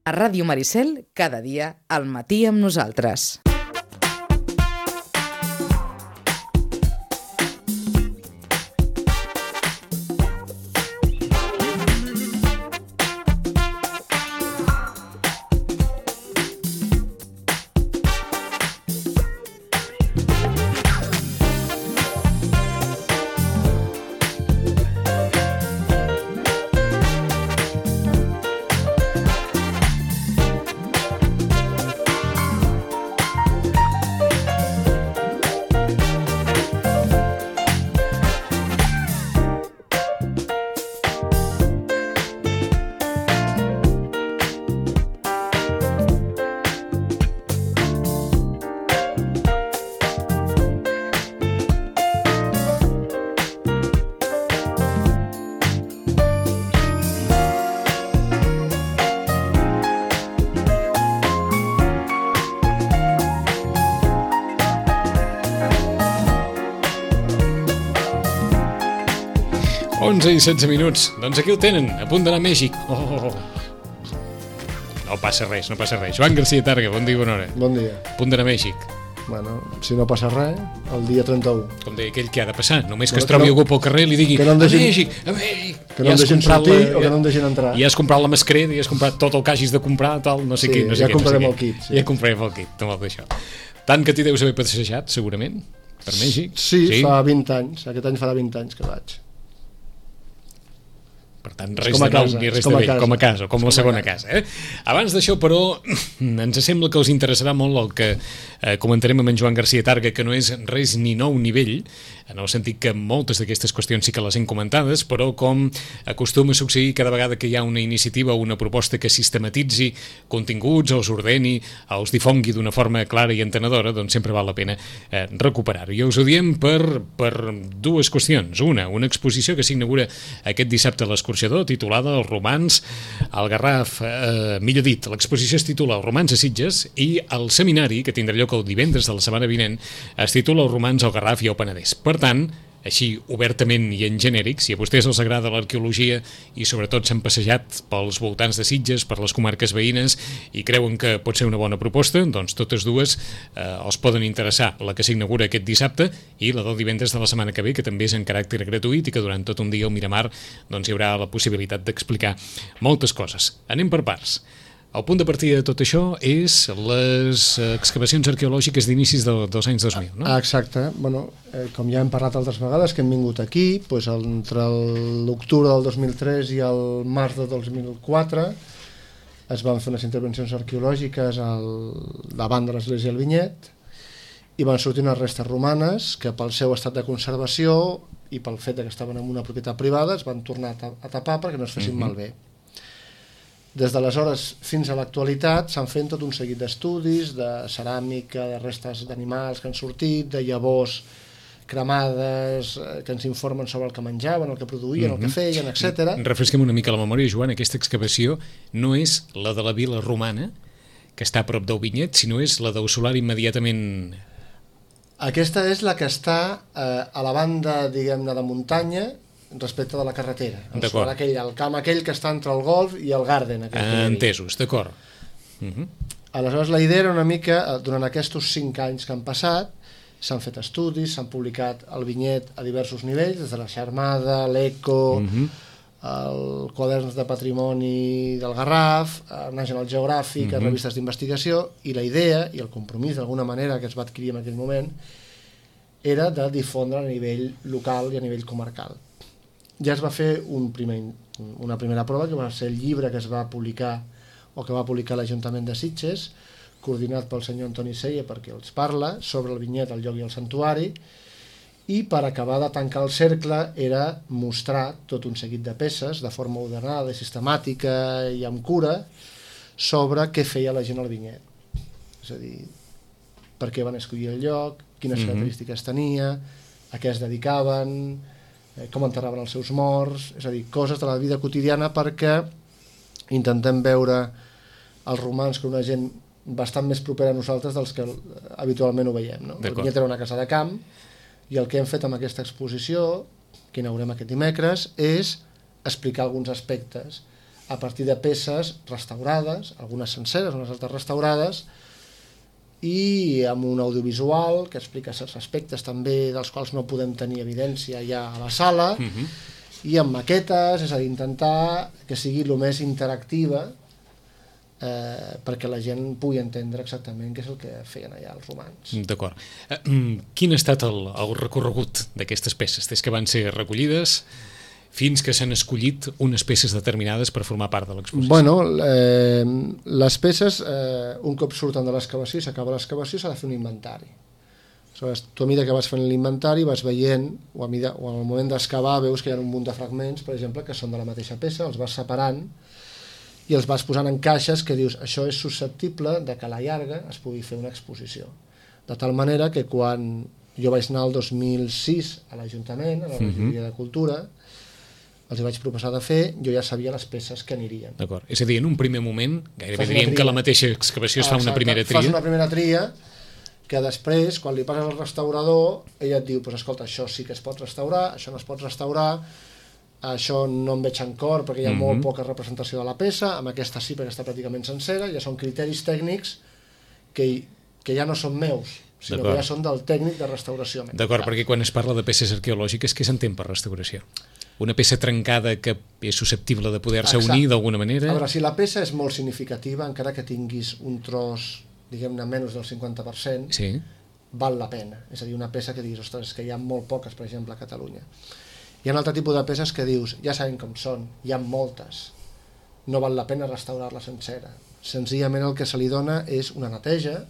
A Ràdio Maricel, cada dia al matí amb nosaltres. I 16 minuts. Doncs aquí ho tenen, a punt d'anar a Mèxic. No passa res, no passa res. Joan Garcia Targa, bon dia i bona hora. Bon dia. A punt d'anar a Mèxic. Bueno, si no passa res, el dia 31. Com deia aquell que ha de passar, només que es trobi algú pel carrer i li digui a Mèxic. Que no em deixin sortir o que no em deixin entrar. I has comprat la mascareta, i has comprat tot el que hagis de comprar, tal, no sé què. Ja comprarem el kit. Ja comprarem el kit, tot això. Tant que t'hi deus haver passejat, segurament, per Mèxic. Sí, fa 20 anys. Aquest any farà 20 anys que vaig. Per tant, res de nou ni res de vell, com a casa, com la segona casa. Abans d'això, però, ens sembla que us interessarà molt el que comentarem amb en Joan Garcia Targa, que no és res ni nou ni vell, en el sentit que moltes d'aquestes qüestions sí que les hem comentades, però com acostuma a succeir cada vegada que hi ha una iniciativa o una proposta que sistematitzi continguts, els ordeni, els difongui d'una forma clara i entenedora, doncs sempre val la pena recuperar-ho. I us ho diem per dues qüestions. Una exposició que s'inaugura aquest dissabte a l'escorxador, titulada Els romans al Garraf, millor dit, l'exposició es titula Els romans a Sitges, i el seminari, que tindrà lloc el divendres de la setmana vinent, es titula Els romans al Garraf i al Penedès. Per tant, així obertament i en genèric, si a vostès els agrada l'arqueologia i sobretot s'han passejat pels voltants de Sitges, per les comarques veïnes i creuen que pot ser una bona proposta, doncs totes dues els poden interessar, la que s'inaugura aquest dissabte i la del divendres de la setmana que ve, que també és en caràcter gratuït i que durant tot un dia al Miramar doncs, hi haurà la possibilitat d'explicar moltes coses. Anem per parts. El punt de partida de tot això és les excavacions arqueològiques d'inicis dels anys 2000, no? Exacte. Bueno, com ja hem parlat altres vegades que hem vingut aquí, doncs entre l'octubre del 2003 i el març del 2004 es van fer unes intervencions arqueològiques davant de l'església del Vinyet i van sortir unes restes romanes que pel seu estat de conservació i pel fet que estaven en una propietat privada es van tornar a tapar perquè no es fessin malbé. Des d'aleshores fins a l'actualitat s'han fet tot un seguit d'estudis, de ceràmica, de restes d'animals que han sortit, de llavors cremades que ens informen sobre el que menjaven, el que produïen, el que feien, etc. Refresquem una mica la memòria, Joan, aquesta excavació no és la de la vila romana, que està a prop del Vinyet, sinó és la del solar immediatament... Aquesta és la que està a la banda, diguem-ne, de muntanya, respecte de la carretera, el camp aquell que està entre el Golf i el Garden. Entesos, d'acord. Aleshores la idea era una mica, durant aquests 5 anys que han passat, s'han fet estudis, s'han publicat el Vinyet a diversos nivells, des de la Xarmada, l'Eco, el Quaderns de Patrimoni del Garraf, el National Geographic, les revistes d'investigació, i la idea i el compromís d'alguna manera que es va adquirir en aquell moment era de difondre a nivell local i a nivell comarcal. Ja es va fer una primera prova, que va ser el llibre que es va publicar o que va publicar l'Ajuntament de Sitges, coordinat pel senyor Antoni Sella, perquè els parla, sobre el Vinyet, el lloc i el santuari, i per acabar de tancar el cercle era mostrar tot un seguit de peces de forma ordenada, sistemàtica i amb cura sobre què feia la gent al Vinyet. És a dir, per què van escollir el lloc, quines característiques tenia, a què es dedicaven, com enterraven els seus morts, és a dir, coses de la vida quotidiana, perquè intentem veure els romans com una gent bastant més propera a nosaltres dels que habitualment ho veiem, no? El Vinyet era una casa de camp i el que hem fet amb aquesta exposició, que inaugurem aquest dimecres, és explicar alguns aspectes a partir de peces restaurades, algunes senceres, unes altres restaurades, i amb un audiovisual que explica certs aspectes també dels quals no podem tenir evidència ja a la sala, i amb maquetes, és a dir, intentar que sigui el més interactiva perquè la gent pugui entendre exactament què és el que feien allà els romans. D'acord. Quin ha estat el recorregut d'aquestes peces? Des que van ser recollides fins que s'han escollit unes peces determinades per formar part de l'exposició? Bueno, les peces, un cop surten de l'excavació i s'acaba l'excavació, s'ha de fer un inventari. Aleshores, tu a mesura que vas fent l'inventari vas veient, o al moment d'excavar veus que hi ha un munt de fragments, per exemple, que són de la mateixa peça, els vas separant i els vas posant en caixes que dius això és susceptible de que a la llarga es pugui fer una exposició. De tal manera que quan jo vaig anar el 2006 a l'Ajuntament, a la regidoria de Cultura, els hi vaig proposar de fer, jo ja sabia les peces que anirien. D'acord. És a dir, en un primer moment, gairebé diríem que la mateixa excavació es fa una primera tria. Fas una primera tria que després, quan li passes al restaurador, ell et diu, pues, escolta, això sí que es pot restaurar, això no es pot restaurar, això no em veig en cor perquè hi ha molt poca representació de la peça, amb aquesta sí perquè està pràcticament sencera, ja són criteris tècnics que ja no són meus, sinó que ja són del tècnic de restauració. D'acord, perquè quan es parla de peces arqueològiques, què s'entén per restauració? Una peça trencada que és susceptible de poder-se unir d'alguna manera? A veure, si la peça és molt significativa, encara que tinguis un tros, diguem-ne, menys del 50%, sí, val la pena. És a dir, una peça que diguis, ostres, és que hi ha molt poques, per exemple, a Catalunya. Hi ha un altre tipus de peces que dius, ja sabem com són, hi ha moltes, no val la pena restaurar-la sencera. Senzillament el que se li dona és una neteja,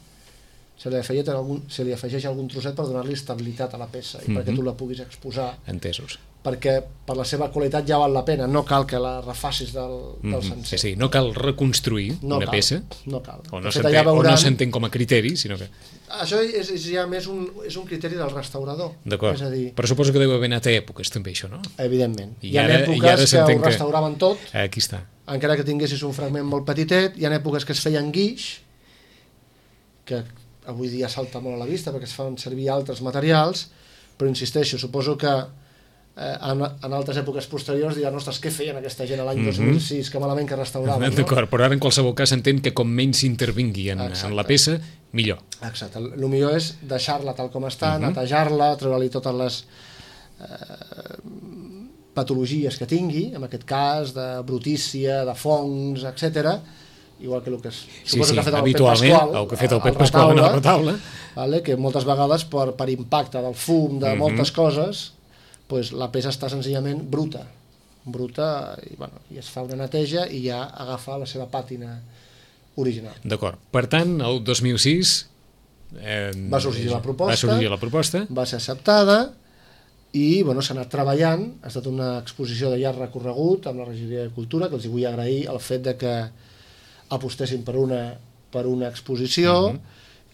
se li afegeix algun trosset per donar-li estabilitat a la peça i perquè tu la puguis exposar. Entesos. Perquè per la seva qualitat ja val la pena, no cal que la refacis del sencer. Sí, no cal reconstruir una peça, no cal. O no s'entén com a criteri, sinó que... Això és ja més un criteri del restaurador. D'acord, però suposo que deu haver anat a èpoques també això, no? Evidentment. Hi ha èpoques que ho restauraven tot, aquí està, encara que tinguessis un fragment molt petitet, hi ha èpoques que es feien guix, que avui dia salta molt a la vista perquè es fan servir altres materials, però insisteixo, suposo que en altres èpoques posteriors diran, ostres, què feien aquesta gent l'any 2006, que malament que restauraven, no? D'acord, però ara en qualsevol cas s'entén que com menys s'intervingui en la peça, millor. Exacte, el millor és deixar-la tal com està, netejar-la, treure-li totes les patologies que tingui, en aquest cas de brutícia, de fongs, etc. Igual que el que suposo que ha fet el Pep Pasqual, el que ha fet el Pep Pasqual en el retaule, que moltes vegades per impacte del fum, de moltes coses, la peça està senzillament bruta i es fa una neteja i ja agafa la seva pàtina original. D'acord, per tant el 2006 va sorgir la proposta, va ser acceptada i s'ha anat treballant. Ha estat una exposició de llarg recorregut amb la regidoria de Cultura, que els vull agrair el fet de que apostessin per una exposició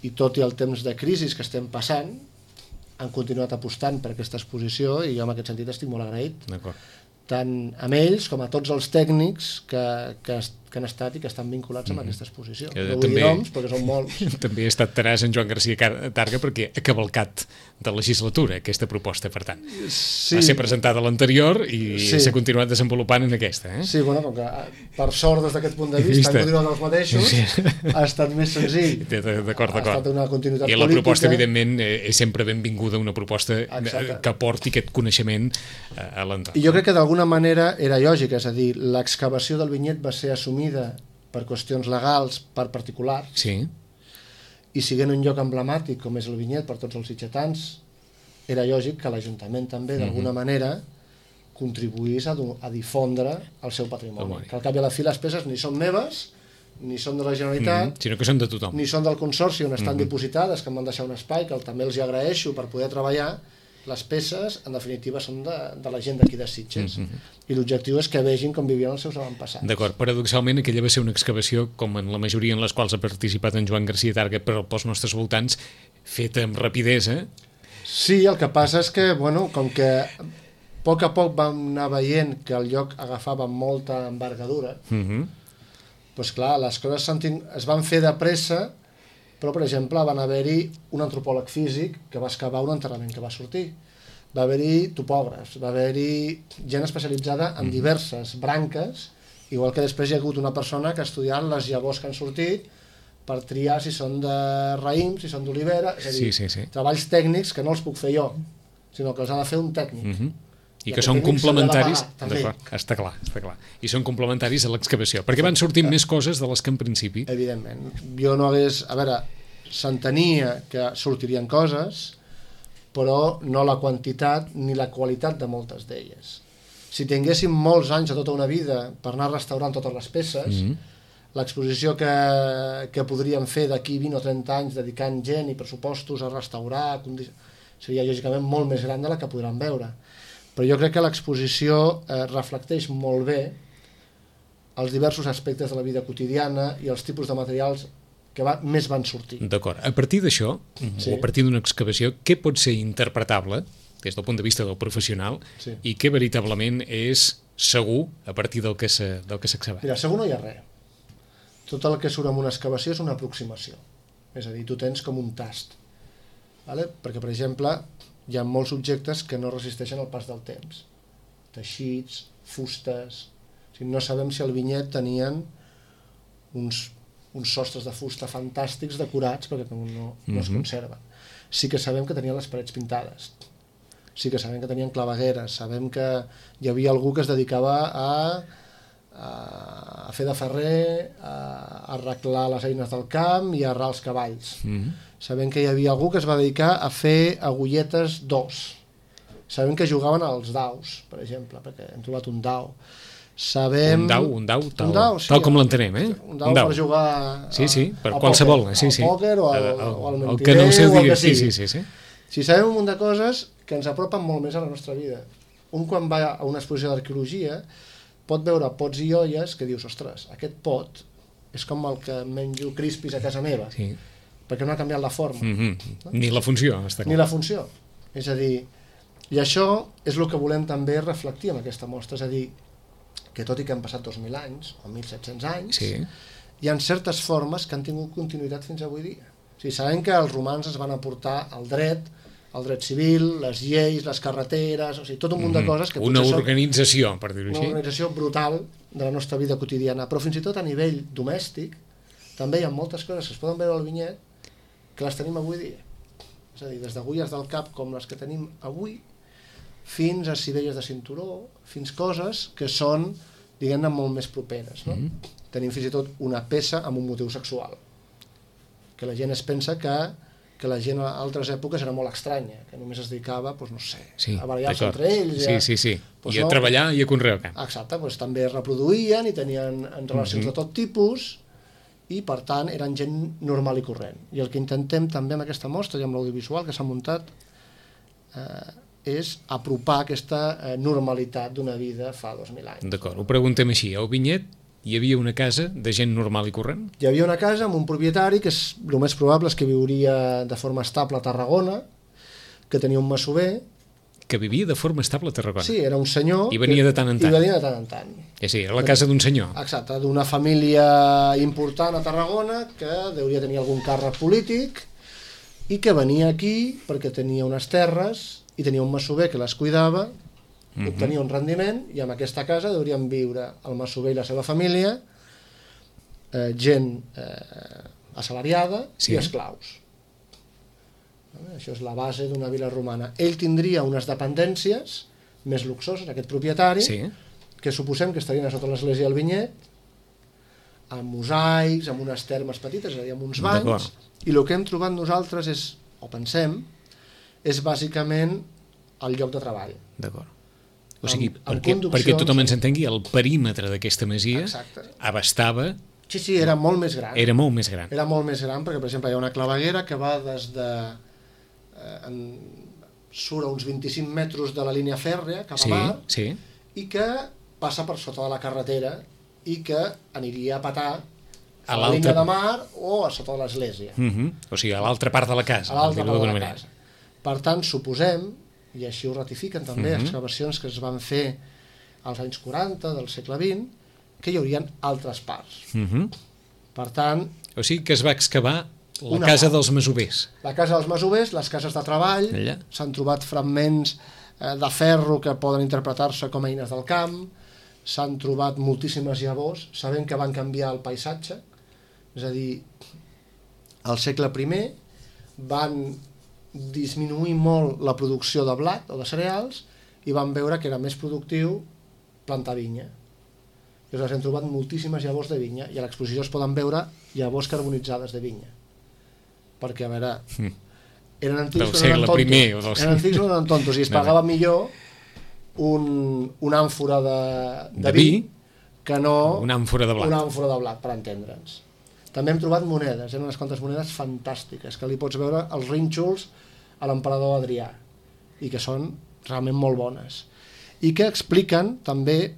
i tot i el temps de crisi que estem passant han continuat apostant per aquesta exposició i jo en aquest sentit estic molt agraït. Tant amb ells com a tots els tècnics que han estat i que estan vinculats amb aquesta exposició. No vull dir noms, perquè són molts. També ha estat tenàs en Joan Garcia Targa perquè ha cavalcat de legislatura aquesta proposta, per tant. Sí. Va ser presentada a l'anterior i s'ha continuat desenvolupant en aquesta. Sí, com que per sort des d'aquest punt de vista han continuat els mateixos, ha estat més senzill. D'acord. Ha estat una continuïtat política. I la proposta, evidentment, és sempre benvinguda, una proposta que aporti aquest coneixement a l'entorn. I jo crec que d'alguna manera era lògic, és a dir, l'excavació del vinyet va ser assumida per qüestions legals per particulars, i sent un lloc emblemàtic com és el vinyet per tots els sitgetans, era lògic que l'Ajuntament també d'alguna manera contribuís a difondre el seu patrimoni, que al cap i a la fi les peces ni són meves ni són de la Generalitat, sinó que són de tothom, ni són del Consorci on estan dipositades, que em van deixar un espai que també els agraeixo per poder treballar. Les peces, en definitiva, són de la gent d'aquí de Sitges. I l'objectiu és que vegin com vivien els seus avantpassats. D'acord, paradoxalment aquella va ser una excavació, com en la majoria en les quals ha participat en Joan Garcia Targa pels nostres voltants, feta amb rapidesa. Sí, el que passa és que, com que a poc vam anar veient que el lloc agafava molta envergadura, doncs clar, les coses es van fer de pressa. Però, per exemple, van haver-hi un antropòleg físic que va excavar un enterrament que va sortir. Va haver-hi topògrafs, va haver-hi gent especialitzada en diverses branques Igual que després hi ha hagut una persona que ha estudiat les llavors que han sortit per triar si són de raïm, si són d'olivera, és a dir, treballs tècnics que no els puc fer jo, sinó que els ha de fer un tècnic. I que són complementaris, està clar, i són complementaris a l'excavació, perquè van sortint més coses de les que en principi... Evidentment, jo no hagués... A veure, s'entenia que sortirien coses, però no la quantitat ni la qualitat de moltes d'elles. Si tinguéssim molts anys, tota una vida, per anar restaurant totes les peces, l'exposició que podríem fer d'aquí 20 o 30 anys dedicant gent i pressupostos a restaurar seria lògicament molt més gran de la que podran veure. Però jo crec que l'exposició reflecteix molt bé els diversos aspectes de la vida quotidiana i els tipus de materials que més van sortir. D'acord. A partir d'això, o a partir d'una excavació, què pot ser interpretable des del punt de vista del professional i què veritablement és segur a partir del que s'ha excavat? Mira, segur no hi ha res. Tot el que surt en una excavació és una aproximació. És a dir, tu tens com un tast. Vale? Perquè, per exemple, hi ha molts objectes que no resisteixen el pas del temps. Teixits, fustes... O sigui, no sabem si al vinyet tenien uns sostres de fusta fantàstics decorats perquè no es conserven. Sí que sabem que tenien les parets pintades. Sí que sabem que tenien clavegueres, sabem que hi havia algú que es dedicava a fer de ferrer, a arreglar les eines del camp i a arrar els cavalls. Sabem que hi havia algú que es va dedicar a fer agulletes d'os. Sabem que jugaven als daus, per exemple, perquè hem trobat un dau. Sabem... Un dau, tal com l'entenem, eh? Un dau per jugar per qualsevol, al pòquer o al mentider, que no ho sé o el que sigui. Sí. Si sabem un munt de coses que ens apropen molt més a la nostra vida. Un quan va a una exposició d'arqueologia pot veure pots i olles que dius, ostres, aquest pot és com el que menjo crispis a casa meva, perquè no ha canviat la forma. Ni la funció, està clar. Ni la funció. És a dir, i això és el que volem també reflectir en aquesta mostra, és a dir, que tot i que han passat 2.000 anys, o 1.700 anys, hi ha certes formes que han tingut continuïtat fins avui dia. O sigui, sabem que els romans ens van aportar el dret civil, les lleis, les carreteres, o sigui, tot un munt de coses que una organització, per dir-ho així. Una organització brutal de la nostra vida quotidiana, però fins i tot a nivell domèstic també hi ha moltes coses que es poden veure al vinyet que les tenim avui dia. És a dir, des d'agulles del cap com les que tenim avui fins a sivelles de cinturó, fins coses que són, diguem-ne, molt més properes. No? Tenim fins i tot una peça amb un motiu sexual, que la gent es pensa que la gent a altres èpoques era molt estranya, que només es dedicava, doncs, no sé, a barallar-se entre ells. Doncs I a treballar i a conrear el camp. Exacte, doncs també es reproduïen i tenien relacions de tot tipus i, per tant, eren gent normal i corrent. I el que intentem també amb aquesta mostra i amb l'audiovisual que s'ha muntat és apropar aquesta normalitat d'una vida fa 2.000 anys. D'acord, ho preguntem així. Al vinyet hi havia una casa de gent normal i corrent? Hi havia una casa amb un propietari que el més probable és que viuria de forma estable a Tarragona, que tenia un masover. Que vivia de forma estable a Tarragona? Sí, era un senyor. I venia de tant en tant? I venia de tant en tant. Sí, era la casa d'un senyor. Exacte, d'una família important a Tarragona que deuria tenir algun càrrec polític i que venia aquí perquè tenia unes terres i tenia un masover que les cuidava, obtenia un rendiment i en aquesta casa deurien viure el masover i la seva família, gent assalariada i esclaus. Això és la base d'una vila romana. Ell tindria unes dependències més luxoses, aquest propietari, que suposem que estarien a sota l'església del vinyet, amb mosaics, amb unes termes petites, és a dir, amb uns banys, i el que hem trobat nosaltres és, o pensem, és bàsicament el lloc de treball. D'acord. O sigui, perquè tothom ens entengui, el perímetre d'aquesta masia abastava... Sí, era molt més gran. Era molt més gran. Era molt més gran, perquè, per exemple, hi ha una claveguera que va des de... surt a uns 25 metres de la línia fèrrea cap a mar, i que passa per sota de la carretera i que aniria a petar a la línia de mar o a sota de l'església. O sigui, a l'altra part de la casa. A l'altra part de la casa. Per tant, suposem, i així ho ratifiquen també excavacions que es van fer als anys 40 del segle XX, que hi haurien altres parts. Per tant... O sigui que es va excavar la casa dels masovers. La casa dels masovers, les cases de treball, s'han trobat fragments de ferro que poden interpretar-se com a eines del camp, s'han trobat moltíssimes llavors, sabent que van canviar el paisatge, és a dir, al segle I van disminuir molt la producció de blat o de cereals i van veure que era més productiu plantar vinya. Llavors hem trobat moltíssimes llavors de vinya i a l'exposició es poden veure llavors carbonitzades de vinya. Perquè, a veure, eren antics o no eren tontos. Eren antics o no eren tontos i es pagava millor una àmfora de vi que no una àmfora de blat, per entendre'ns. També hem trobat monedes, unes quantes monedes fantàstiques, que li pots veure els rínxols a l'emperador Adrià, i que són realment molt bones, i que expliquen també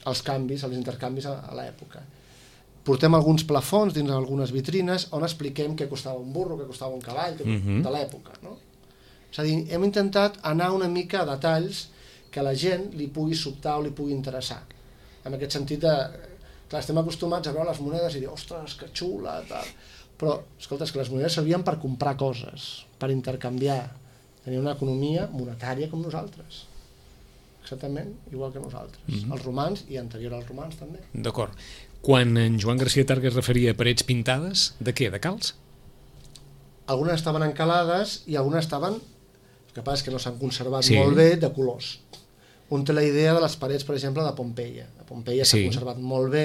els canvis, els intercanvis a l'època. Portem alguns plafons dins algunes vitrines on expliquem què costava un burro, què costava un cavall, de l'època, no? És a dir, hem intentat anar una mica a detalls que a la gent li pugui sobtar o li pugui interessar. En aquest sentit de... Clar, estem acostumats a veure les monedes i dir, ostres, que xula, tal. Però, escolta, és que les monedes servien per comprar coses, per intercanviar. Tenia una economia monetària com nosaltres. Exactament igual que nosaltres. Els romans i anterior als romans també. D'acord. Quan en Joan Garcia Targa es referia a parets pintades, de què? De calç? Algunes estaven encalades i algunes estaven, el que passa és que no s'han conservat molt bé, de colors. Un té la idea de les parets, per exemple, de Pompeia. A Pompeia s'ha conservat molt bé,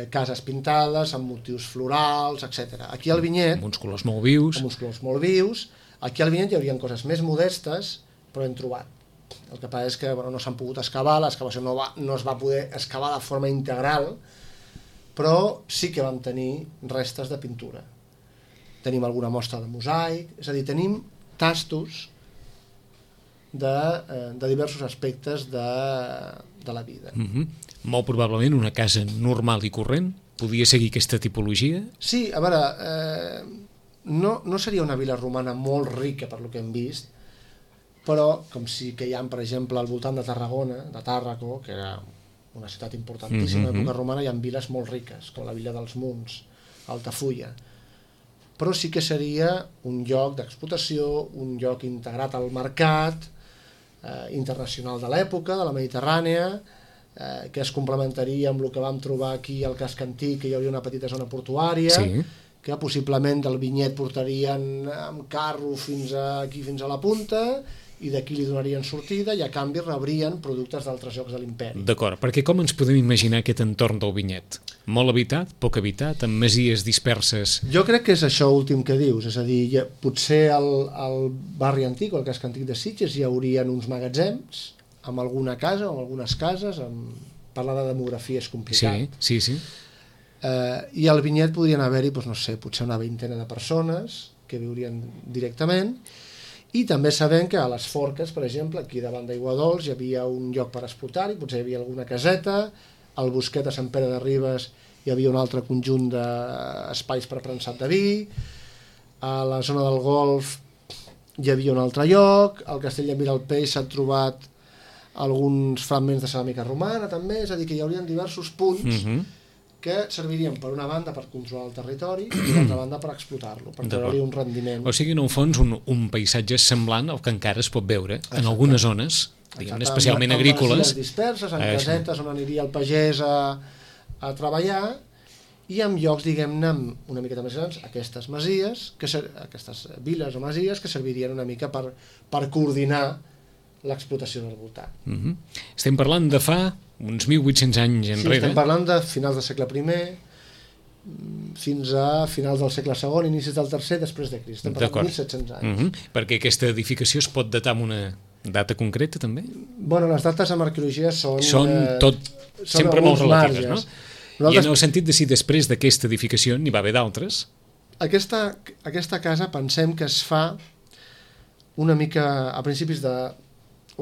cases pintades, amb motius florals, etc. Aquí al vinyet... Amb uns colors molt vius. Amb uns colors molt vius. Aquí al vinyet hi haurien coses més modestes, però hem trobat. El que passa és que no s'han pogut excavar, l'excavació no es va poder excavar de forma integral, però sí que vam tenir restes de pintura. Tenim alguna mostra de mosaic, és a dir, tenim tastos de diversos aspectes de la vida. Molt probablement una casa normal i corrent podia seguir aquesta tipologia? Sí, a veure, no seria una vila romana molt rica per lo que hem vist, però com sí que hi ha, per exemple, al voltant de Tarragona, de Tàrraco, que era una ciutat importantíssima a l'època romana, hi ha viles molt riques, com la vila dels Munts, Altafulla. Però sí que seria un lloc d'explotació, un lloc integrat al mercat internacional de l'època, de la Mediterrània, que es complementaria amb el que vam trobar aquí al casc antic, que hi hauria una petita zona portuària, que possiblement del vinyet portarien amb carro fins a la punta, i d'aquí li donarien sortida i a canvi rebrien productes d'altres llocs de l'imperi. D'acord, perquè com ens podem imaginar aquest entorn del vinyet? Molt habitat, poc habitat, amb masies disperses? Jo crec que és això últim que dius, és a dir, potser al barri antic o al casc antic de Sitges hi haurien uns magatzems amb alguna casa o amb algunes cases, parlar de demografia és complicat. Sí. I al vinyet podrien haver-hi, no sé, potser una vintena de persones que viurien directament. I també sabem que a les Forques, per exemple, aquí davant d'Aiguadols hi havia un lloc per explotar-hi, potser hi havia alguna caseta, al Bosquet de Sant Pere de Ribes hi havia un altre conjunt d'espais per prensat de vi, a la zona del Golf hi havia un altre lloc, al Castell de Miralpeix s'han trobat alguns fragments de ceràmica romana també, és a dir, que hi haurien diversos punts que servirien per una banda per controlar el territori i per l'altra banda per explotar-lo, per treure-li un rendiment. O sigui, en un fons, un paisatge semblant al que encara es pot veure en algunes zones, diguem, especialment agrícoles. En disperses, en casetes on aniria el pagès a treballar, i en llocs, diguem-ne, una miqueta més grans, aquestes masies, aquestes viles o masies que servirien una mica per coordinar l'explotació del voltant. Estem parlant de fa uns 1.800 anys enrere. Sí, estem parlant de finals del segle I fins a finals del segle II, inicis del III després de Crist. Estem parlant de 1.700 anys. Perquè aquesta edificació es pot datar amb una data concreta, també? Bueno, les dates en arqueologia són sempre molt relatives, no? I en el sentit de si després d'aquesta edificació n'hi va haver d'altres? Aquesta casa pensem que es fa una mica a principis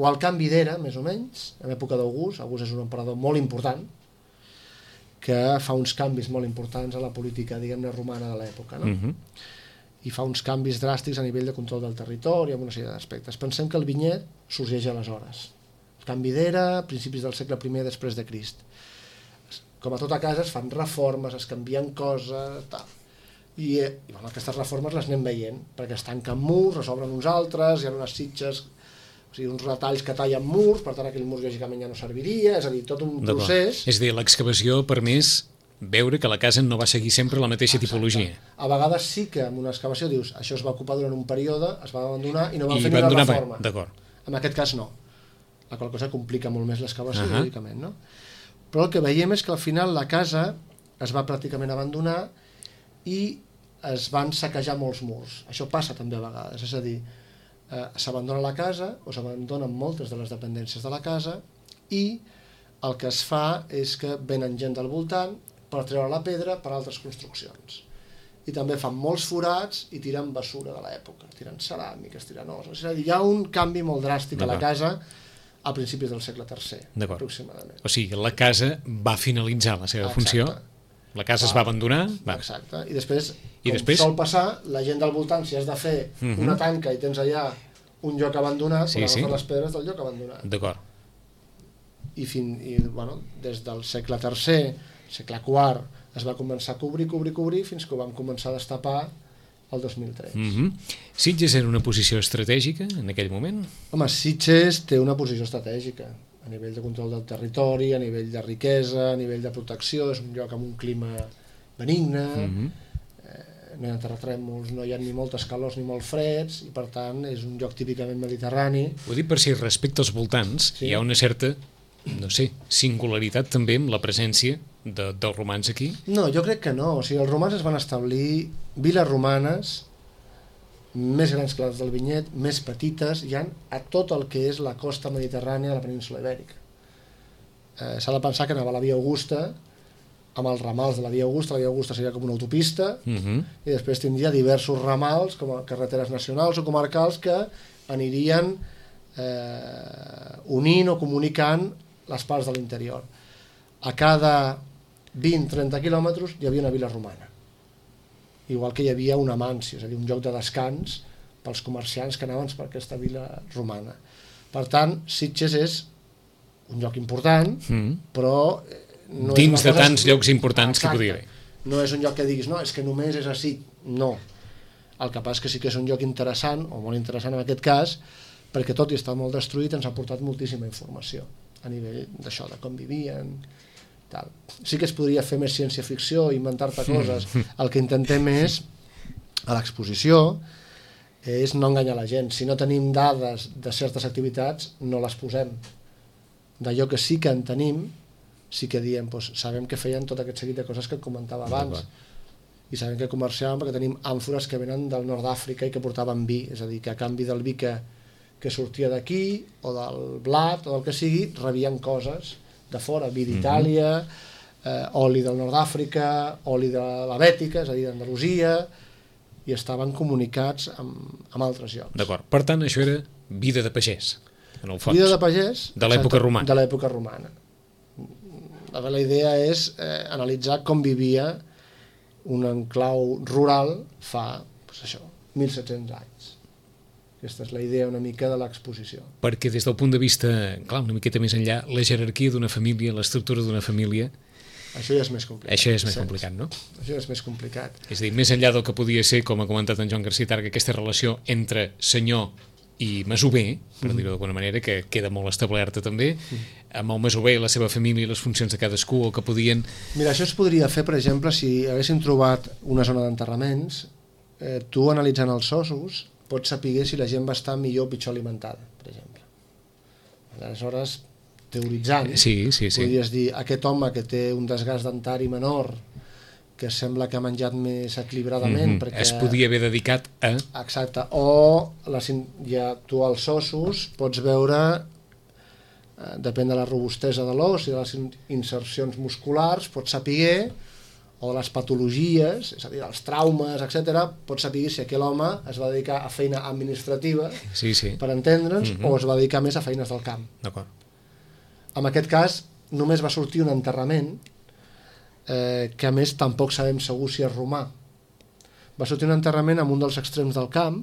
o al canvi d'era, més o menys, en l'època d'August. August és un emperador molt important, que fa uns canvis molt importants a la política, diguem-ne, romana de l'època, no? I fa uns canvis dràstics a nivell de control del territori, amb una sèrie d'aspectes. Pensem que el vinyet sorgeix aleshores. El canvi d'era, principis del segle I després de Crist. Com a tota casa es fan reformes, es canvien coses, tal. I aquestes reformes les anem veient, perquè es tanquen murs, es obren uns altres, hi ha unes sitges O sigui, uns retalls que tallen murs, per tant aquell mur lògicament ja no serviria, és a dir, tot un procés. És a dir, l'excavació ha permès veure que la casa no va seguir sempre la mateixa tipologia. A vegades sí que en una excavació dius això es va ocupar durant un període, es va abandonar i no van fer ni la reforma. En aquest cas no. La qual cosa complica molt més l'excavació, lògicament, no? Però el que veiem és que al final la casa es va pràcticament abandonar i es van saquejar molts murs. Això passa també a vegades, és a dir, s'abandona la casa o s'abandonen moltes de les dependències de la casa i el que es fa és que venen gent del voltant per treure la pedra per altres construccions. I també fan molts forats i tiren bessura de l'època, tiren ceràmiques, tiren ossos. És a dir, hi ha un canvi molt dràstic a la casa a principis del segle III, aproximadament. O sigui, la casa va finalitzar la seva funció, la casa es va abandonar... Exacte, i després, com sol passar, la gent del voltant, si has de fer una tanca i tens allà un lloc abandonat, per agafar les pedres del lloc abandonat. D'acord. I des del segle III, segle IV, es va començar a cobrir, fins que ho vam començar a destapar el 2003. Sitges era una posició estratègica en aquell moment? Home, Sitges té una posició estratègica a nivell de control del territori, a nivell de riquesa, a nivell de protecció, és un lloc amb un clima benigne, no hi ha terratrèmols, no hi ha ni moltes calors ni molt freds, i per tant és un lloc típicament mediterrani. Ho dic per si respecte als voltants hi ha una certa, no sé, singularitat també amb la presència dels romans aquí? No, jo crec que no. O sigui, els romans es van establir viles romanes més grans que les del Vinyet, més petites, hi ha a tot el que és la costa mediterrània de la península Ibèrica. S'ha de pensar que anava a la Via Augusta, amb els ramals de la Via Augusta seria com una autopista, i després tindria diversos ramals, com a carreteres nacionals o comarcals, que anirien unint o comunicant les parts de l'interior. A cada 20-30 quilòmetres hi havia una vila romana, igual que hi havia una mansió, és a dir, un lloc de descans pels comerciants que anaven per aquesta vila romana. Per tant, Sitges és un lloc important, però no dins de tants llocs importants que podria haver. No és un lloc que diguis, no, és que només és així. No. El que passa és que sí que és un lloc interessant, o molt interessant en aquest cas, perquè tot i estar molt destruït ens ha portat moltíssima informació a nivell d'això, de com vivien, tal. Sí que es podria fer més ciència-ficció, inventar-te coses. El que intentem és, a l'exposició, és no enganyar la gent. Si no tenim dades de certes activitats, no les posem. D'allò que sí que en tenim, sí que diem, doncs, sabem que feien tot aquest seguit de coses que et comentava abans. I sabem que comerciàvem perquè tenim àmfores que venen del nord d'Àfrica i que portaven vi. És a dir, que a canvi del vi que sortia d'aquí, o del blat, o del que sigui, rebien coses de fora, vi d'Itàlia, oli del nord d'Àfrica, oli de la Bètica, és a dir, d'Andalusia, i estaven comunicats amb altres llocs. D'acord. Per tant, això era vida de pagès, en el fons. Vida de pagès. De l'època romana. De l'època romana. La idea és analitzar com vivia un enclau rural fa, doncs això, 1.700 anys. Aquesta és la idea una mica de l'exposició. Perquè des del punt de vista, clar, una miqueta més enllà, la jerarquia d'una família, l'estructura d'una família... Això ja és més complicat. Això és més complicat, no? Això és més complicat. És a dir, més enllà del que podia ser, com ha comentat en Joan Garcia Targa, aquesta relació entre senyor i masover, per dir-ho d'alguna manera, que queda molt establerta també, amb el masover, la seva família i les funcions de cadascú, o que podien... Mira, això es podria fer, per exemple, si haguéssim trobat una zona d'enterraments, tu analitzant els ossos, pots saber si la gent va estar millor o pitjor alimentada, per exemple. Aleshores, teoritzant, podries dir, aquest home que té un desgast dentari menor, que sembla que ha menjat més equilibradament... perquè es podia haver dedicat a... Exacte, o ja tu als ossos pots veure, depèn de la robustesa de l'os i de les insercions musculars, pots saber, o de les patologies, és a dir, els traumes, etc., pots saber si aquell home es va dedicar a feina administrativa, per entendre'ns, o es va dedicar més a feines del camp. D'acord. En aquest cas, només va sortir un enterrament, que a més tampoc sabem segur si és romà. Va sortir un enterrament en un dels extrems del camp,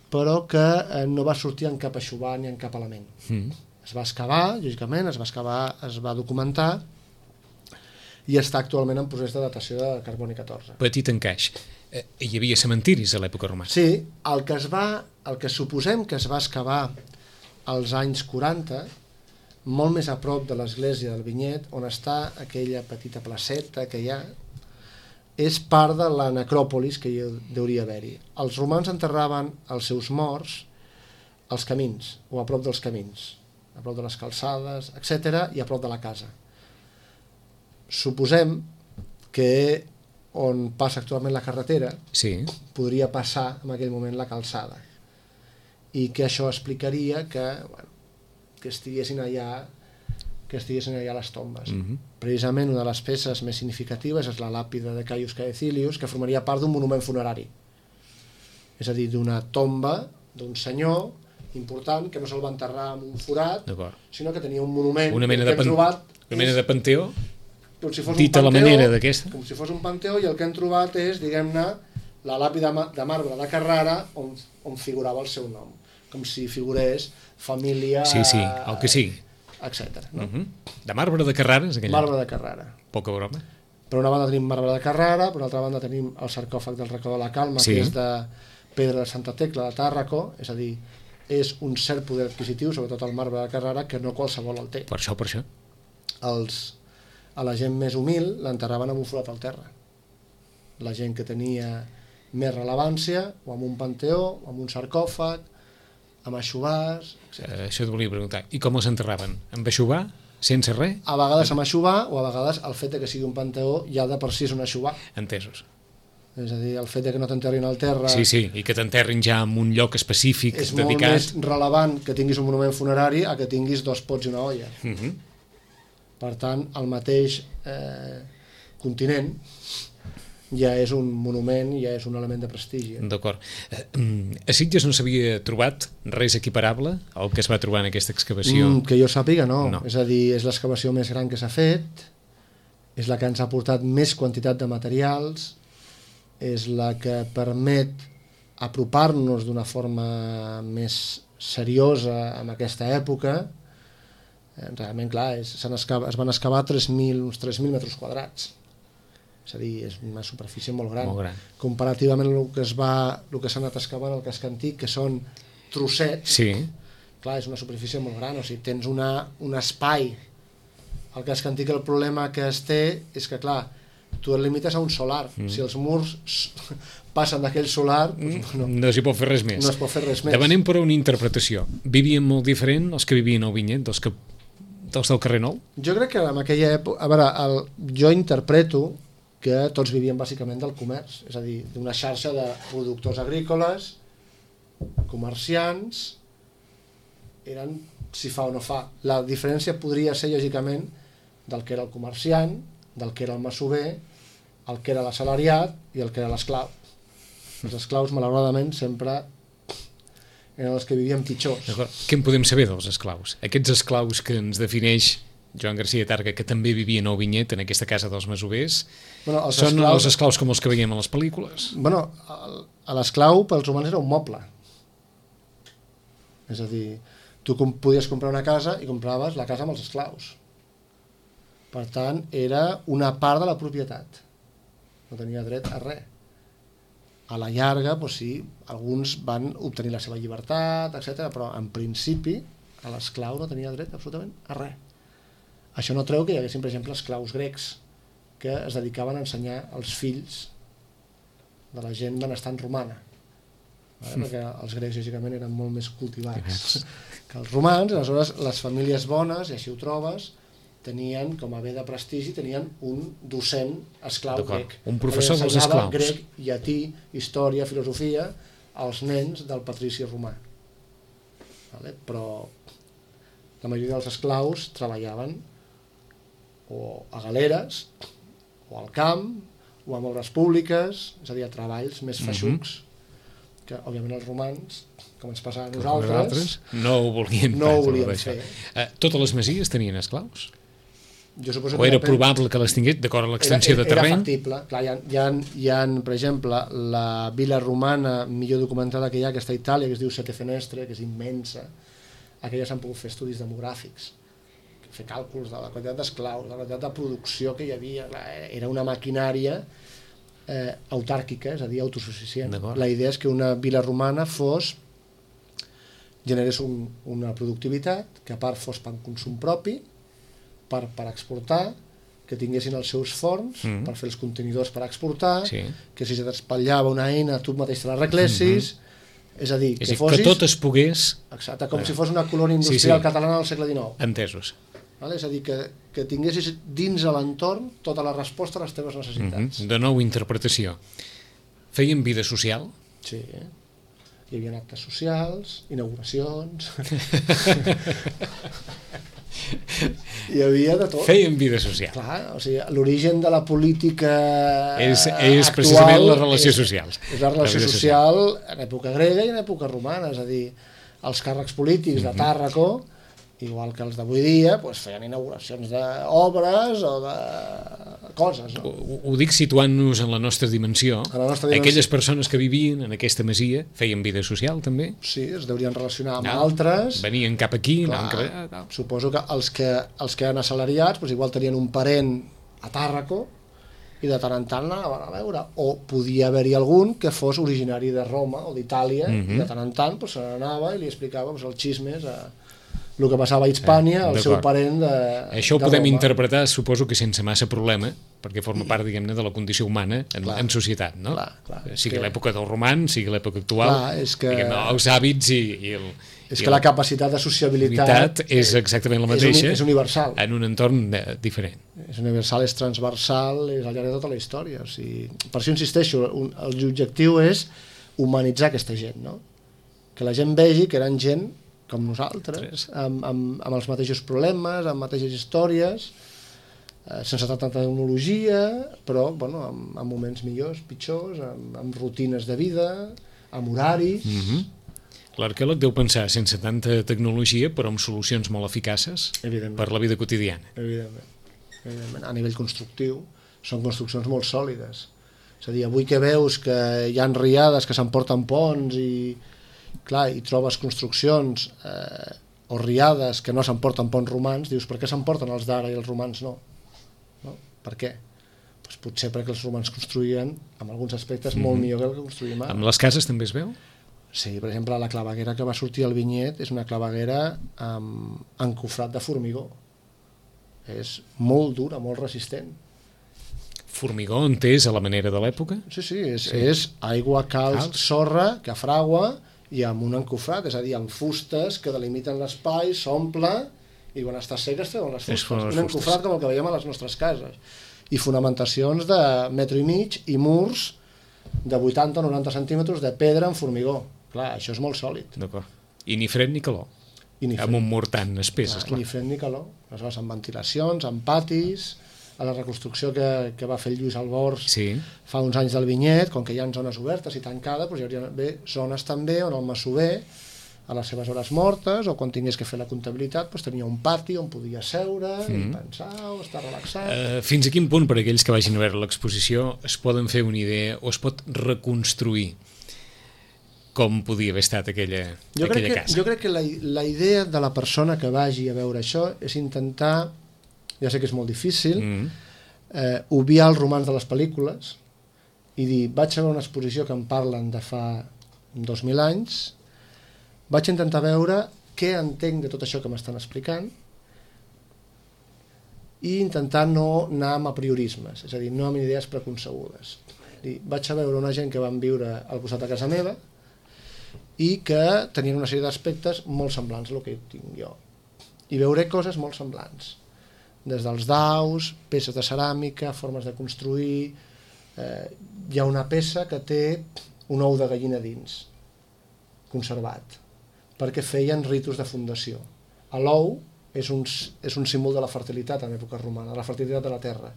però que no va sortir en cap aixovar ni en cap element. Es va excavar, lògicament, es va documentar, i està actualment en procés de datació de carboni 14. Petit encaix. Hi havia cementiris a l'època romana? Sí, el que suposem que es va excavar als anys 40, molt més a prop de l'església del Vinyet, on està aquella petita placeta que hi ha, és part de la necròpolis que hi hauria d'haver-hi. Els romans enterraven els seus morts als camins, o a prop dels camins, a prop de les calçades, etc., i a prop de la casa. Suposem que on passa actualment la carretera podria passar en aquell moment la calçada, i que això explicaria que estiguessin allà les tombes. Precisament una de les peces més significatives és la làpida de Caius Caecilius, que formaria part d'un monument funerari, és a dir, d'una tomba d'un senyor important que no se'l va enterrar en un forat, sinó que tenia un monument, una mena de panteó, dit a la manera d'aquesta, com si fos un panteó, i el que hem trobat és, diguem-ne, la làpida de marbre de Carrara on figurava el seu nom, com si figurés família... Sí, el que sigui. Etcètera. De marbre de Carrara, és aquell? Marbre de Carrara. Poca broma. Per una banda tenim marbre de Carrara, per una altra banda tenim el sarcòfag del Racó de la Calma, que és de pedra de Santa Tecla de Tàrraco, és a dir, és un cert poder adquisitiu, sobretot el marbre de Carrara, que no qualsevol el té. Per això. A la gent més humil l'enterraven amb un forat al terra. La gent que tenia més rellevància, o amb un panteó, o amb un sarcòfag, amb aixovars, etc. Això et volia preguntar. I com els enterraven? Amb aixovar? Sense res? A vegades amb aixovar, o a vegades el fet que sigui un panteó ja de per si és un aixovar. Entesos. És a dir, el fet que no t'enterrin al terra... Sí, i que t'enterrin ja en un lloc específic és dedicat... És molt més relevant que tinguis un monument funerari a que tinguis 2 pots i una olla. Per tant, el mateix continent ja és un monument, ja és un element de prestigi. D'acord. A Sitges no s'havia trobat res equiparable al que es va trobar en aquesta excavació? Que jo sàpiga, no. És a dir, és l'excavació més gran que s'ha fet, és la que ens ha portat més quantitat de materials, és la que permet apropar-nos d'una forma més seriosa en aquesta època. Realment, clar, es van excavar uns 3.000 metres quadrats. És a dir, és una superfície molt gran. Comparativament al que s'ha anat excavant al casc antic, que són trossets, clar, és una superfície molt gran. O sigui, tens un espai. Al casc antic el problema que es té és que, clar, tu et limites a un solar. Si els murs passen d'aquell solar... No s'hi pot fer res més. No es pot fer res més. Demanem per una interpretació. Vivien molt diferent els que vivien al Vinyet dels del carrer Nou? Jo crec que en aquella època... A veure, jo interpreto que tots vivien bàsicament del comerç, és a dir, d'una xarxa de productors agrícoles, comerciants, eren si fa o no fa. La diferència podria ser, lògicament, del que era el comerciant, del que era el masover, el que era l'assalariat i el que era l'esclau. Els esclaus, malauradament, sempre eren els que vivien pitjors. Què en podem saber dels esclaus? Aquests esclaus que ens defineix Joan Garcia Targa, que també vivien al Vinyet, en aquesta casa dels masovers, són els esclaus com els que veiem a les pel·lícules? L'esclau pels romans era un moble. És a dir, tu podies comprar una casa i compraves la casa amb els esclaus. Per tant, era una part de la propietat. No tenia dret a res. A la llarga, sí, alguns van obtenir la seva llibertat, etc., però en principi l'esclau no tenia dret absolutament a res. Això no treu que hi haguessin, per exemple, esclaus grecs que es dedicaven a ensenyar als fills de la gent benestant romana. Perquè els grecs, lògicament, eren molt més cultivats que els romans, i aleshores les famílies bones, i així ho trobes, tenien, com a bé de prestigi, tenien un docent esclau grec. Un professor dels esclaus. Grec, llatí, història, filosofia, als nens del patrici romà. Però la majoria dels esclaus treballaven o a galeres, o al camp, o en obres públiques, és a dir, a treballs més feixucs, que òbviament els romans, com ens passa a nosaltres, no ho volien fer. Totes les masies tenien esclaus? O era probable que les tingués, d'acord amb l'extensió de terreny? Era factible. Clar, hi ha, per exemple, la vila romana millor documentada que hi ha, que està a Itàlia, que es diu Sette Fenestre, que és immensa. Aquelles s'han pogut fer estudis demogràfics, fer càlculs de la quantitat d'esclaus, de la quantitat de producció que hi havia. Era una maquinària autàrquica, és a dir, autosuficient. La idea és que una vila romana fos generés una productivitat que a part fos per consum propi, per exportar, que tinguessin els seus forns per fer els contenidors per exportar, que si se t'espatllava una eina tu mateix te l'arreglessis, és a dir, que que tot es pogués... Exacte, com si fos una colònia industrial catalana del segle XIX. Entesos. És a dir, que tinguessis dins de l'entorn tota la resposta a les teves necessitats. De nou, interpretació. Feien vida social? Sí, hi havia actes socials, inauguracions... Hi havia de tot. Feien vida social. Clar, o sigui, l'origen de la política és actual precisament les relacions socials. És la relació social en època grega i en època romana, és a dir, els càrrecs polítics de Tàrraco, igual que els d'avui dia, feien inauguracions d'obres o de coses. No? Ho dic situant-nos en la nostra dimensió. Aquelles persones que vivien en aquesta masia feien vida social, també? Sí, es deurien relacionar amb altres. Venien cap aquí. Suposo que els que eren assalariats igual tenien un parent a Tàrraco i de tant en tant anaven a veure. O podia haver-hi algun que fos originari de Roma o d'Itàlia i de tant en tant se n'anava i li explicava els xismes el que passava a Hispània, el seu parent de Això ho podem interpretar, suposo que sense massa problema, perquè forma part, diguem-ne, de la condició humana en societat, no? Sigui l'època dels romans, sigui l'època actual, els hàbits i el... És que la capacitat de sociabilitat és exactament la mateixa. És universal. En un entorn diferent. És universal, és transversal, és al llarg de tota la història. O sigui, per això insisteixo, l'objectiu és humanitzar aquesta gent, no? Que la gent vegi que eren gent com nosaltres, amb els mateixos problemes, amb mateixes històries, sense tanta tecnologia, però amb moments millors, pitjors, amb rutines de vida, amb horaris... L'arqueòleg deu pensar sense tanta tecnologia, però amb solucions molt eficaces per la vida quotidiana. Evidentment. A nivell constructiu, són construccions molt sòlides. És a dir, avui que veus que hi ha riades que s'emporten ponts i trobes construccions o riades que no s'emporten ponts romans, dius, per què s'emporten els d'ara i els romans no? Per què? Potser perquè els romans construïen, en alguns aspectes, molt millor que el que construïm ara. Amb les cases també es veu? Sí, per exemple, la claveguera que va sortir al vinyet és una claveguera amb encofrat de formigó. És molt dura, molt resistent. Formigó entès a la manera de l'època? Sí, és aigua, calç, sorra, que fragua i amb un encofrat, és a dir, amb fustes que delimiten l'espai, s'omple i quan està sec es treuen les fustes. Un encofrat com el que veiem a les nostres cases. I fonamentacions de metro i mig i murs de 80 o 90 centímetres de pedra en formigó. Clar, això és molt sòlid. D'acord. I ni fred ni calor. Amb un mur tan espès, esclar. Ni fred ni calor. Aleshores, amb ventilacions, amb patis, a la reconstrucció que va fer el Lluís Albors fa uns anys del vinyet, com que hi ha zones obertes i tancades, hi hauria d'haver zones també on el masover, a les seves hores mortes, o quan tingués que fer la comptabilitat, tenia un pati on podia seure i pensar o estar relaxat. Fins a quin punt, per aquells que vagin a veure l'exposició, es poden fer una idea o es pot reconstruir com podia haver estat aquella casa? Jo crec que la idea de la persona que vagi a veure això és intentar, ja sé que és molt difícil, obviar els romans de les pel·lícules i dir, vaig a veure una exposició que em parlen de fa 2.000 anys, vaig intentar veure què entenc de tot això que m'estan explicant i intentar no anar amb apriorismes, és a dir, no amb idees preconcebudes. Vaig a veure una gent que van viure al costat de casa meva i que tenien una sèrie d'aspectes molt semblants al que tinc jo. I veuré coses molt semblants, des dels daus, peces de ceràmica, formes de construir... Hi ha una peça que té un ou de gallina dins, conservat, perquè feien ritus de fundació. L'ou és un símbol de la fertilitat en època romana, de la fertilitat de la terra.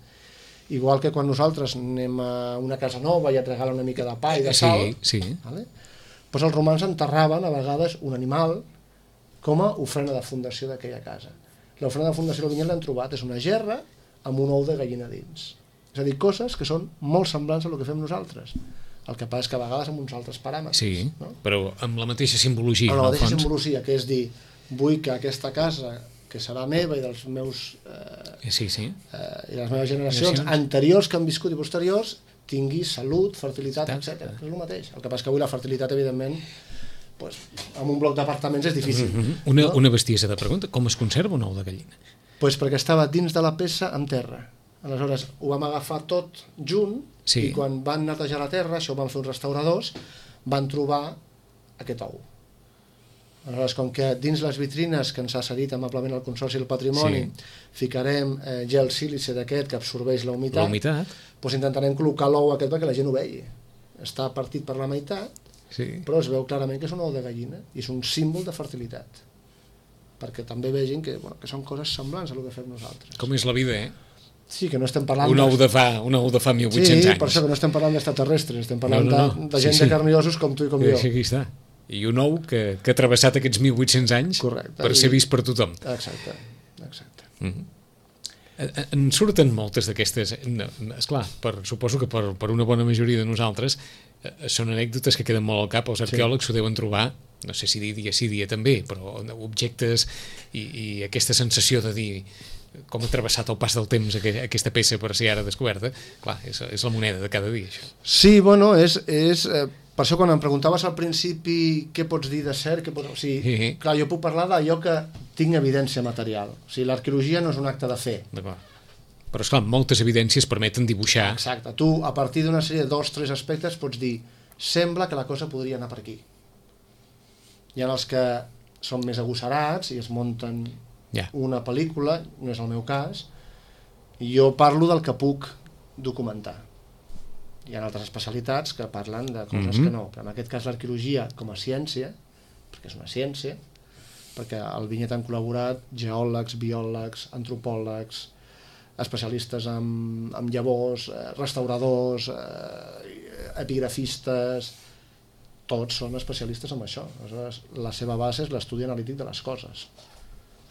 Igual que quan nosaltres anem a una casa nova i et regalen una mica de pa i de sal, vale? Doncs els romans enterraven a vegades un animal com a ofrena de fundació d'aquella casa. L'ofrena de fundació del vinyet l'han trobat, és una gerra amb un ou de gallina dins. És a dir, coses que són molt semblants a el que fem nosaltres. El que passa és que a vegades amb uns altres paràmetres. Sí, no? Però amb la mateixa simbologia. Amb la mateixa simbologia, que és dir, vull que aquesta casa, que serà meva i dels meus... i les meves generacions anteriors que han viscut i posteriors, tingui salut, fertilitat, etc. És el mateix. El que passa que avui la fertilitat, evidentment, pues, amb un bloc d'apartaments és difícil. Una bestiesa de pregunta, com es conserva un ou de gallina? Pues perquè estava dins de la peça en terra. Aleshores ho vam agafar tot junt i quan van netejar la terra, això ho van fer uns restauradors, van trobar aquest ou. Aleshores, com que dins les vitrines que ens ha cedit amablement el Consorci del Patrimoni ficarem gel sílice d'aquest que absorbeix la humitat, doncs intentarem col·locar l'ou aquest perquè la gent ho vegi. Està partit per la meitat, però es veu clarament que és un ou de gallina i és un símbol de fertilitat, perquè també vegin que són coses semblants a el que fem nosaltres. Com és la vida, Sí, que no estem parlant... Un ou de fa 1.800 anys. Sí, per això que no estem parlant d'extraterrestres, estem parlant de gent de carn i ossos com tu i com jo. Aquí està. I un ou que ha travessat aquests 1.800 anys per ser vist per tothom. Exacte. En surten moltes d'aquestes... Esclar, suposo que per una bona majoria de nosaltres són anècdotes que queden molt al cap. Els arqueòlegs ho deuen trobar, no sé si dia sí, dia també, però objectes i aquesta sensació de dir com ha travessat el pas del temps aquesta peça per ser ara descoberta. Clar, és la moneda de cada dia, això. Sí, bueno, és per això quan em preguntaves al principi què pots dir de cert, clar, jo puc parlar d'allò que tinc evidència material. O sigui, l'arqueologia no és un acte de fe. D'acord. Però, esclar, moltes evidències permeten dibuixar... Exacte. Tu, a partir d'una sèrie de 2 o 3 aspectes, pots dir sembla que la cosa podria anar per aquí. Hi ha els que són més agosarats i es munten una pel·lícula, no és el meu cas, i jo parlo del que puc documentar. Hi ha altres especialitats que parlen de coses que no, però en aquest cas l'arqueologia com a ciència, perquè és una ciència, perquè al vinyet han col·laborat geòlegs, biòlegs, antropòlegs, especialistes en llavors, restauradors, epigrafistes, tots són especialistes en això. Aleshores, la seva base és l'estudi analític de les coses.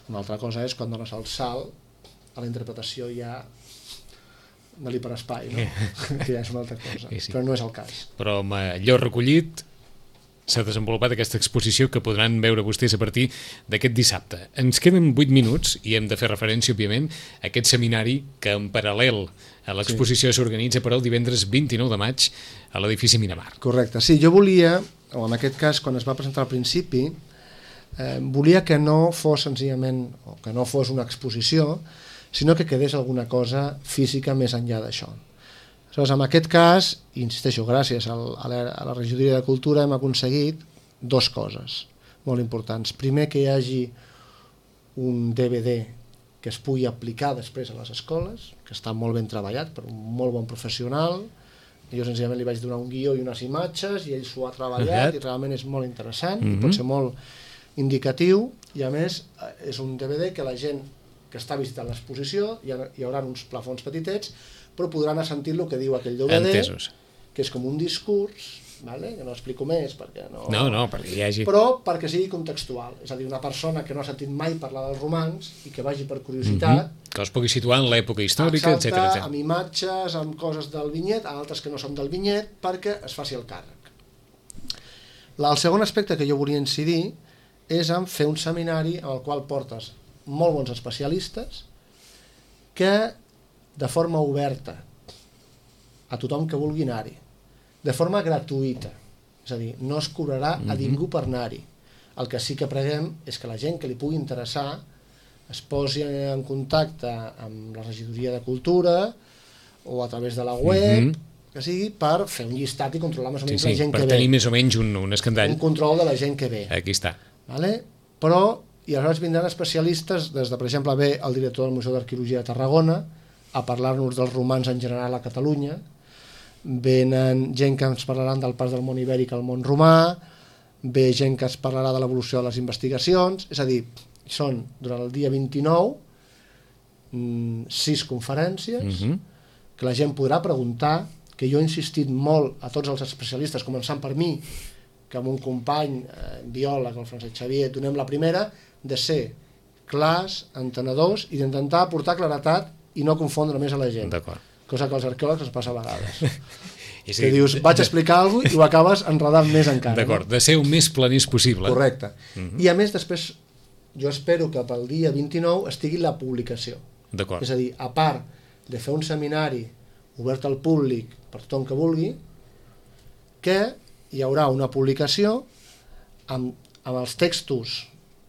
Una altra cosa és quan dones el salt a la interpretació ja de l'hiperespai, no? Que ja és una altra cosa, però no és el cas. Però amb allò recollit s'ha desenvolupat aquesta exposició que podran veure vostès a partir d'aquest dissabte. Ens queden 8 minuts i hem de fer referència, òbviament, a aquest seminari que en paral·lel a l'exposició s'organitza per el divendres 29 de maig a l'edifici Miramar. Correcte. Sí, jo volia, o en aquest cas quan es va presentar al principi, volia que no fos senzillament, o que no fos una exposició, sinó que quedés alguna cosa física més enllà d'això. Aleshores, en aquest cas, i insisteixo, gràcies a la Regidoria de Cultura hem aconseguit 2 coses molt importants. Primer, que hi hagi un DVD que es pugui aplicar després a les escoles, que està molt ben treballat per un molt bon professional. Jo senzillament li vaig donar un guió i unes imatges i ell s'ho ha treballat i realment és molt interessant i pot ser molt indicatiu, i a més és un DVD que la gent que està visitant l'exposició, hi haurà uns plafons petitets, però podran sentir el que diu aquell DVD, que és com un discurs, que no explico més perquè no... No, perquè hi hagi... Però perquè sigui contextual, és a dir, una persona que no ha sentit mai parlar dels romans i que vagi per curiositat... Que es pugui situar en l'època històrica, etc. Exacte, amb imatges, amb coses del vinyet, altres que no són del vinyet, perquè es faci el càrrec. El segon aspecte que jo volia incidir és en fer un seminari en el qual portes molt bons especialistes que de forma oberta a tothom que vulgui anar-hi, de forma gratuïta, és a dir, no es cobrarà a ningú per anar-hi. El que sí que preguem és que la gent que li pugui interessar es posi en contacte amb la Regidoria de Cultura o a través de la web, que sigui per fer un llistat i controlar més o menys la gent que ve. Per tenir més o menys un escandall. Un control de la gent que ve. Aquí està. Però, i aleshores vindran especialistes, des de, per exemple, ve el director del Museu d'Arqueologia de Tarragona a parlar-nos dels romans en general a Catalunya, venen gent que ens parlaran del pas del món ibèric al món romà, ve gent que ens parlarà de l'evolució de les investigacions, és a dir, són durant el dia 29 6 conferències que la gent podrà preguntar, que jo he insistit molt a tots els especialistes, començant per mi, que amb un company biòleg, el Francesc Xavier, donem la primera, de ser clars, entenedors i d'intentar aportar claretat i no confondre més a la gent. Cosa que als arqueòlegs ens passa a vegades. Que dius, vaig explicar alguna cosa i ho acabes enredant més encara. D'acord, de ser el més planís possible. Correcte. I a més, després, jo espero que pel dia 29 estigui la publicació. És a dir, a part de fer un seminari obert al públic per tothom que vulgui, que hi haurà una publicació amb els textos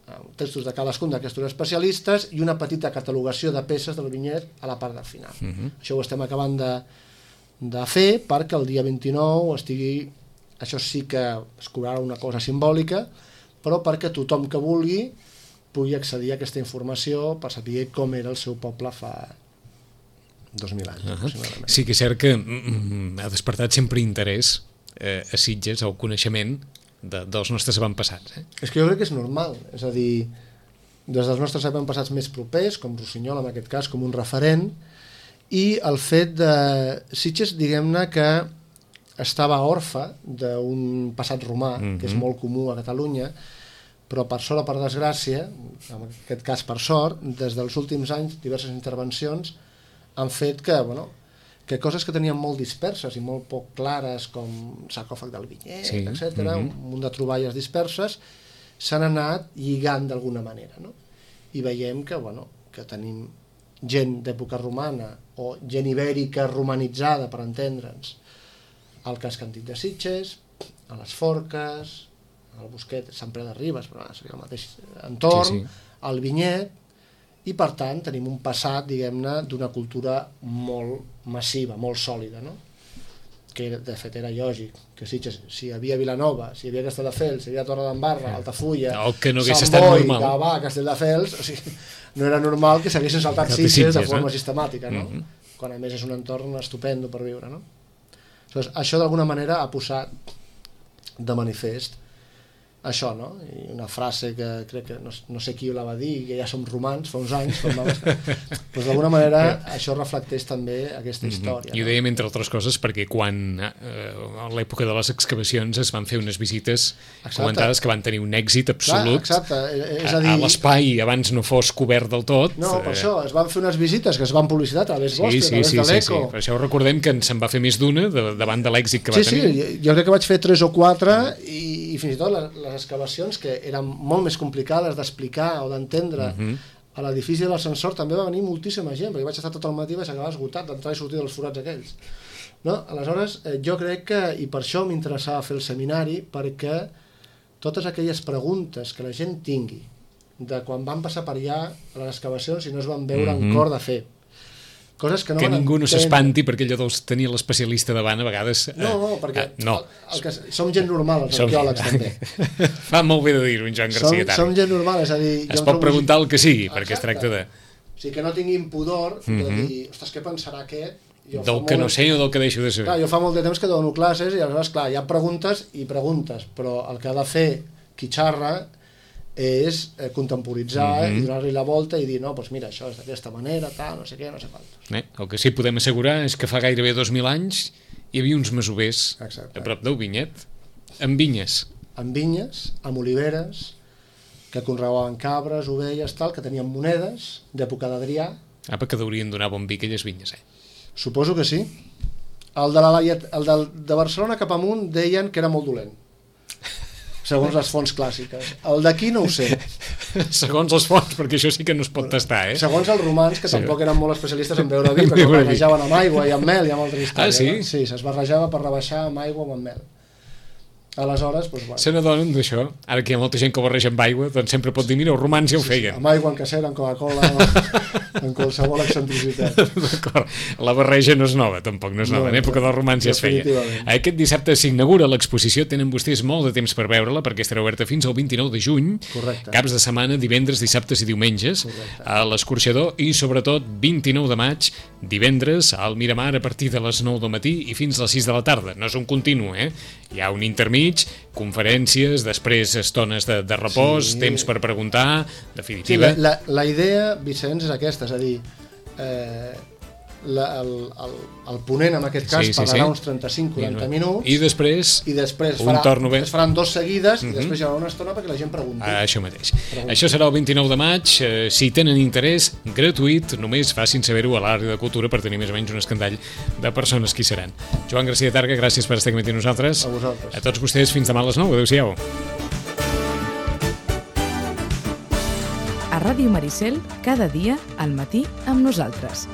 de cadascun d'aquests especialistes i una petita catalogació de peces del vinyet a la part del final. Això ho estem acabant de fer perquè el dia 29 estigui, això sí que es cobrarà una cosa simbòlica, però perquè tothom que vulgui pugui accedir a aquesta informació per saber com era el seu poble fa 2.000 anys. Sí que és cert que ha despertat sempre interès a Sitges, el coneixement dels nostres avantpassats. És que jo crec que és normal, és a dir, des dels nostres avantpassats més propers, com Rossinyol en aquest cas, com un referent, i el fet de Sitges, diguem-ne que estava orfe d'un passat romà, que és molt comú a Catalunya, però per sort o per desgràcia, en aquest cas per sort, des dels últims anys diverses intervencions han fet que coses que tenien molt disperses i molt poc clares, com sarcòfag del vinyet, etc., un munt de troballes disperses, s'han anat lligant d'alguna manera, no? I veiem que tenim gent d'època romana o gent ibèrica romanitzada, per entendre'ns, al casc antic de Sitges, a les Forques, al Bosquet, Sant Pere de Ribes, però seria el mateix entorn, al vinyet, i per tant tenim un passat, diguem-ne, d'una cultura molt massiva, molt sòlida, no? Que de fet era lògic, que Sitges, si hi havia Vilanova, si hi havia Castelldefels, si hi havia Torredembarra, Altafulla, Sant Boi, Gavà, Castelldefels, o sigui, no era normal que s'haguessin saltat Sitges de forma sistemàtica, no? Quan a més és un entorn estupendo per viure, no? Això d'alguna manera ha posat de manifest això, no? I una frase que crec que no sé qui la va dir, que ja som romans fa uns anys, doncs d'alguna manera això reflecteix també aquesta història. I ho dèiem entre altres coses perquè quan a l'època de les excavacions es van fer unes visites comentades que van tenir un èxit absolut a l'espai, abans no fos cobert del tot. No, per això, es van fer unes visites que es van publicitar a través vostre, a través de l'Eco. Per això recordem que se'n va fer més d'una davant de l'èxit que va tenir. Sí, jo crec que vaig fer 3 o 4 i fins i tot les excavacions que eren molt més complicades d'explicar o d'entendre a l'edifici de l'ascensor també va venir moltíssima gent, perquè vaig estar tot el matí i vaig acabar esgotat d'entrar i sortir dels forats aquells, no? Aleshores jo crec que, i per això m'interessava fer el seminari, perquè totes aquelles preguntes que la gent tingui de quan van passar per allà a les excavacions i no es van veure en cor de fer coses que no que ningú no s'espanti perquè allò deus tenir l'especialista davant a vegades. Perquè som gent normal, els arqueòlegs també. Fa molt bé de dir-ho, en Joan Garcia Targa. Som gent normal, és a dir... Es pot preguntar el que sigui, perquè es tracta de... O sigui, que no tinguin pudor de dir, ostres, què pensarà aquest? Del que no sé o del que deixo de saber. Clar, jo fa molt de temps que dono classes i aleshores, clar, hi ha preguntes i preguntes, però el que ha de fer qui xarra és contemporitzar i donar-li la volta i dir, no, doncs mira, això és d'aquesta manera, tal, no sé què, no sé quantos. El que sí podem assegurar és que fa gairebé 2.000 anys hi havia uns masovers a prop del vinyet, amb vinyes. Amb vinyes, amb oliveres, que conreaven cabres, ovelles, tal, que tenien monedes d'època d'Adrià. Que deurien donar bon vi aquelles vinyes, Suposo que sí. El de Barcelona cap amunt deien que era molt dolent, segons les fonts clàssiques. El d'aquí no ho sé. Segons les fonts, perquè això sí que no es pot tastar, Segons els romans, que tampoc eren molt especialistes en beure vi, perquè ho barrejaven amb aigua i amb mel i amb altra història. Sí? Sí, es barrejava per rebaixar amb aigua o amb mel. Aleshores, doncs... Se n'adonen d'això. Ara que hi ha molta gent que ho barreja amb aigua, doncs sempre pot dir, mira, els romans ja ho feien. Amb aigua, en cacera, en Coca-Cola, en qualsevol excentricitat. D'acord. La barreja no és nova, tampoc no és nova. En època dels romans ja es feia. Aquest dissabte s'inaugura l'exposició. Tenen vostès molt de temps per veure-la, perquè estarà oberta fins al 29 de juny. Correcte. Caps de setmana, divendres, dissabtes i diumenges. Correcte. A l'Escorxador i, sobretot, 29 de maig, divendres, al Miramar, a partir de les 9 del matí i fins a les 6 de la tarda. No és un continu, Hi ha un intermig, conferències, després estones de repòs, temps per preguntar, definitiva. Sí, la idea, Vicenç, és aquesta, és a dir, el ponent en aquest cas parlarà uns 35-40 minuts i després es faran 2 seguides i després hi haurà una estona perquè la gent pregunti. Això mateix. Això serà el 29 de maig. Si tenen interès, gratuït, només facin saber-ho a l'àrea de cultura per tenir més o menys un escandall de persones que hi seran. Joan Garcia Targa, gràcies per estar aquí amb nosaltres. A vosaltres. A tots vostès, fins demà a les 9. Adéu-siau. A Ràdio Maricel, cada dia al matí amb nosaltres.